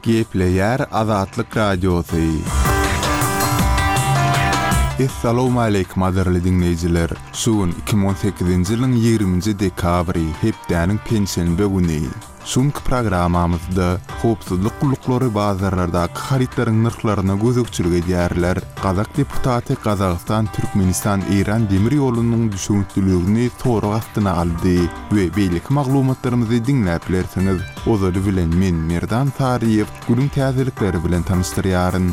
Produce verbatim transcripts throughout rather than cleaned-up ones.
Gepleýär Azatlyk Radiosy. Essalawmaleýkim gadyrly diňleýjiler! Şu gün iki müň on sekizinji ýylyň ýigriminji dekabry, hepdäniň penşenbe güni. Şu günki programmamyzda howpsuzlyk gulluklary bazarlardaky harytlaryň nyrhlaryna gözegçilik edýärler. Gazak deputaty Gazagystan-Türkmenistan-Eýran demir ýolunyň düşewüntliligini sorag astyna aldy we beýleki maglumatlarymyzy diňläp bilersiňiz. Ozaly bilen men Merdan Saryýew günüň täzelikleri bilen tanyşdyrýaryn.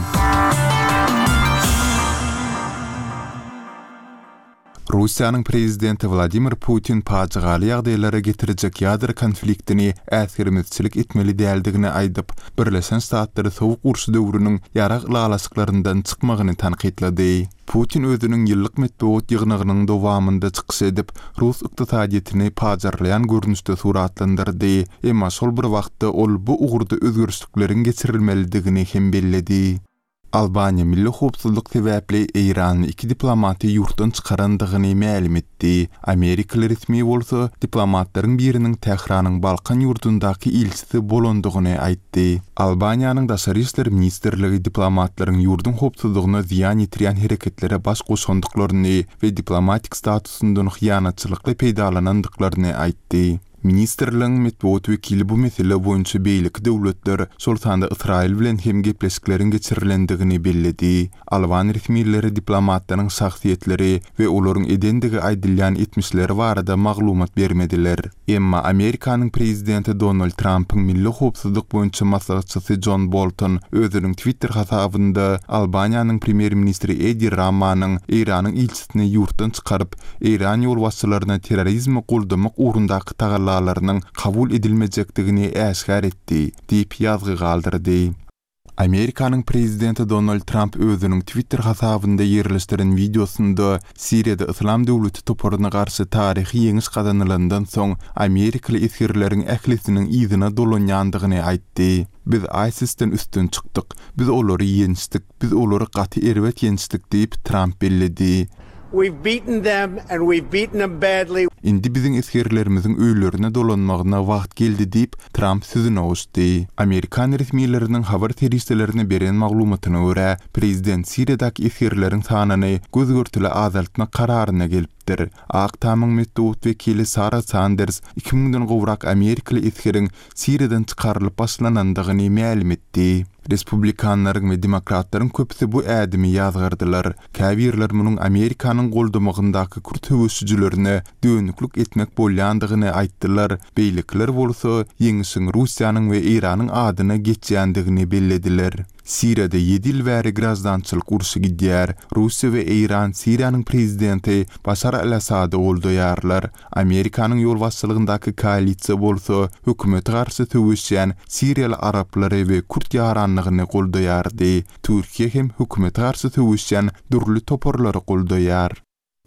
Russiýanyň prezidenti Wladimir Putin pajygaly ýagdaýlara getirjek ýadro konfliktini äsgermezçilik etmeli däldigini aýdyp, Birleşen Ştatlary Sowuk uruş döwrüniň ýarag ylalaşyklaryndan çykmagyny tankytlady. Putin özüniň ýyllyk metbugat ýygnagynyň dowamynda çykyş edip, rus ykdysadyýetini pajarlaýan görnüşde suratlandyrdy, emma şol bir wagtda ol bu ugurda özgerişlikleriň geçirilmelidigini hem belledi. Albaniýa milli howpsuzlyk sebäpli eýranly iki diplomaty ýurtdan çykarandygyny mälim etdi. Amerikaly resmi bolsa diplomatlaryň biriniň Tähranyň Balkan ýurdundaky ilçisi bolandygyny aýtdy. Albaniýanyň Daşary işler ministrligi diplomatlaryň ýurduň howpsuzlygyna zyýan ýetirýän hereketlere baş goşandyklaryny we diplomatik statusyndan hyýanatçylykly peýdalanandyklaryny aýtdy. Ministrligiň metbugat wekili bu mesele boýunça beýleki döwletler, şol sanda Ysraýyl bilen hem gepleşikleriň geçirilendigini belledi. Alban resmileri diplomatlaryň şahsyýetleri we olaryň edendigi aýdylýan etmişleri barada maglumat bermediler. Emma Amerikanyň prezidenti Donald Trampyň milli howpsuzlyk boýunça maslahatçysy Jon Bolton özüniň Twitter hasabynda Albaniýanyň premýer-ministri Edi Ramanyň Eýranyň ilçisini ýurtdan çykaryp, Eýran ýolbaşçylaryna terrorizmi goldamak ugrundaky tagallalarynyň kabul edilmejekdigini äşgär etdi, diýip ýazgy galdyrdy. Amerikanyň prezidenti Donald Tramp özüniň Twitter hasabynda ýerleşdiren wideosynda Siriýada Yslam döwleti toparyna garşy taryhy ýeňiş gazanylandan soň amerikaly esgerleriň ählisiniň yzyna dolanýandygyny aýtdy. Biz ISIS-den üstün çykdyk. Biz olary ýençdik. Biz olary gaty erbet ýençdik diýip, Tramp belledi. We've beaten them and we've beaten them badly. Indi biziň esgerlerimiziň öýlerine dolanmagyna wagt geldi diýip, Tramp sözüne goşdy. Amerikan resmileriniň habar serişdelerine beren maglumatyna görä, prezident Siriýadaky esgerleriň sanyny göz-görtele azaltmak kararyna gelipdir. Ak Tamyň metbugat wekili Sara Sanders iki müňden gowrak amerikaly esgeriň Siriýadan çykarylyp başlanandygyny mälim etdi. Respublikanlaryň we demokratlaryň köpüsi bu ädimi ýazgardylar. Käbirler munuň Amerikanyň goldamagyndaky kürt söweşijilerine dönüklik etmek bolýandygyny aýtdylar, beýlekiler bolsa ýeňişiň Russiýanyň we Eýranyň adyna geçýändigini bellediler. Siriýada ýedi ýyl bäri graždançylyk urşy gidýär. Russiýa we Eýran Siriýanyň prezidenti Başar al-Assady goldaýarlar. Amerikanyň ýolbaşçylygyndaky koalisiýa bolsa hökümete garşy söweşýän siriýaly araplary we kürt ýaranlygyny goldaýardy. Türkiýe hem hökümete garşy söweşýän dürli toparlary goldaýar.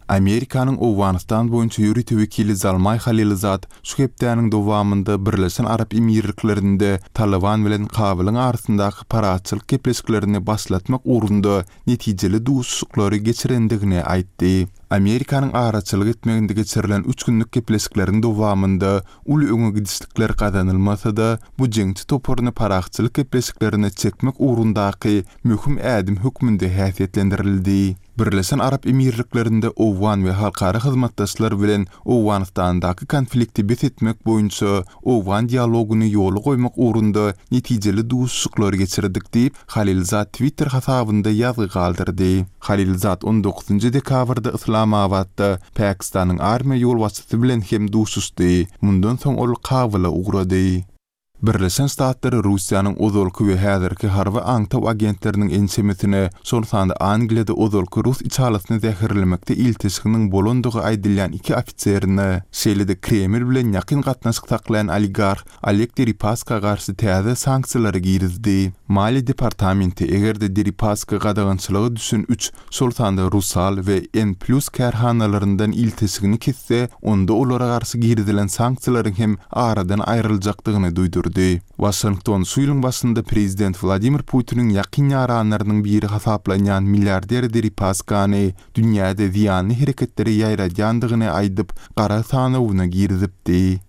Amerikanyň Owganystan boýunça ýörite wekili Zalmaý Halilzad şu hepdäniň dowamynda Birleşen Arap Emirliklerinde Talyban bilen Kabulyň arasyndaky parahatçylyk gepleşiklerini başlatmak ugrunda netijeli duşuşyklary geçirendigini aýtdy. Amerikanyň araçylyk etmeginde geçirilen üç günlük gepleşikleriň dowamynda uly öňe gidişlikler gazanylmasa-da, bu jeňçi toparyny parahatçylyk gepleşiklerine çekmek ugrundaky möhüm ädim hökmünde häsiýetlendirildi. Birleşen Arap Emirliklerinde owgan we halkara hyzmatdaşlar bilen Owganystandaky konflikti bes etmek boýunça owgan dialogyny ýola goýmak ugrunda netijeli duşuşyklary geçirdik diýip, Halilzad Twitter hasabynda ýazgy galdyrdy. Halilzad on dokuzynjy dekabrda Yslamabatda Pakistanyň armiýa ýolbaşçysy bilen hem duşuşdy. Mundan soň ol Kabula ugrady. Birleşen Ştatlar Russiýanyň ozalky we häzirki harby aňtaw agentleriniň ençemesine, şol sanda Angliýada ozalky rus içalysyny zäherlemekde ilteşiginiň bolandygy aýdylýan iki ofiserine, şeýle-de Kreml bilen ýakyn gatnaşyk saklaýan oligarh Oleg Deripaska garşy täze sanksiýalary girizdi. Maliýe departamenti eger-de Deripaska gadagançylyga düşen üç, şol sanda Rusal we N Plus kärhanalaryndan ilteşigini kesse, onda olara garşy girizilen sanksiýalaryň hem aradan aýryljakdygyny duýdurdy. Waşington şu ýylyň başynda prezident Wladimir Putiniň ýakyn ýaranlarynyň biri hasaplanýan milliarder Deripaskany dünýäde zyýanly hereketleri ýaýradýandygyny aýdyp, gara sanawyna girizipdi.